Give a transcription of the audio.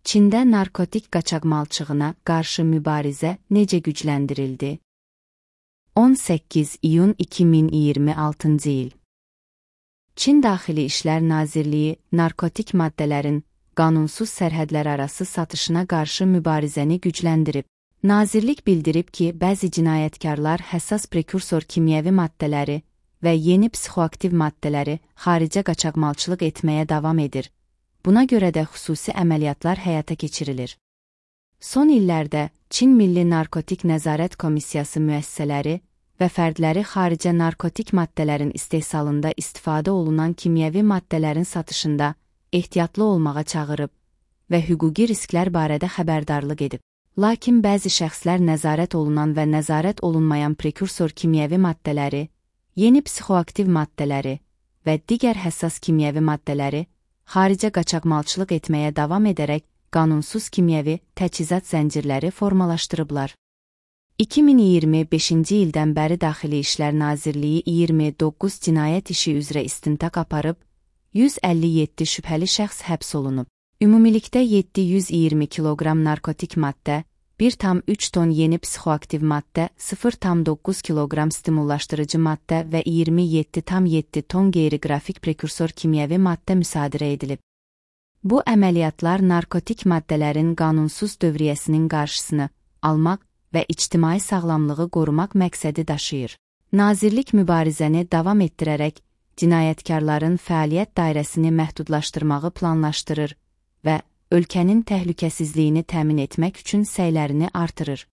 Çində narkotik qaçaqmalçılığına qarşı mübarizə necə gücləndirildi? 18 iyun 2026-cı il. Çin Daxili İşlər Nazirliyi narkotik maddələrin qanunsuz sərhədlərarası satışına qarşı mübarizəni gücləndirib. Nazirlik bildirib ki, bəzi cinayətkarlar həssas prekursor kimyəvi maddələri və yeni psixoaktiv maddələri xaricə qaçaqmalçılıq etməyə davam edir. Buna görə də xüsusi əməliyyatlar həyata keçirilir. Son illərdə Çin Milli Narkotik Nəzarət Komissiyası müəssisələri və fərdləri xaricə narkotik maddələrin istehsalında istifadə olunan kimyəvi maddələrin satışında ehtiyatlı olmağa çağırıb və hüquqi risklər barədə xəbərdarlıq edib. Lakin bəzi şəxslər nəzarət olunan və nəzarət olunmayan prekursor kimyəvi maddələri, yeni psixoaktiv maddələri və digər həssas kimyəvi maddələri xaricə qaçaqmalçılıq etməyə davam edərək qanunsuz kimyəvi təchizat zəncirləri formalaşdırıblar. 2025-ci ildən bəri Daxili İşlər Nazirliyi 29 cinayət işi üzrə istintaq aparıb, 157 şübhəli şəxs həbs olunub. Ümumilikdə 720 kiloqram narkotik maddə, 1,3 ton yeni psixoaktiv maddə, 0,9 kiloqram stimullaşdırıcı maddə və 27,7 ton qeyri-qrafik prekursor kimyəvi maddə müsadirə edilib. Bu əməliyyatlar narkotik maddələrin qanunsuz dövriyyəsinin qarşısını almaq və ictimai sağlamlığı qorumaq məqsədi daşıyır. Nazirlik mübarizəni davam etdirərək cinayətkarların fəaliyyət dairəsini məhdudlaşdırmağı planlaşdırır və ölkənin təhlükəsizliyini təmin etmək üçün səylərini artırır.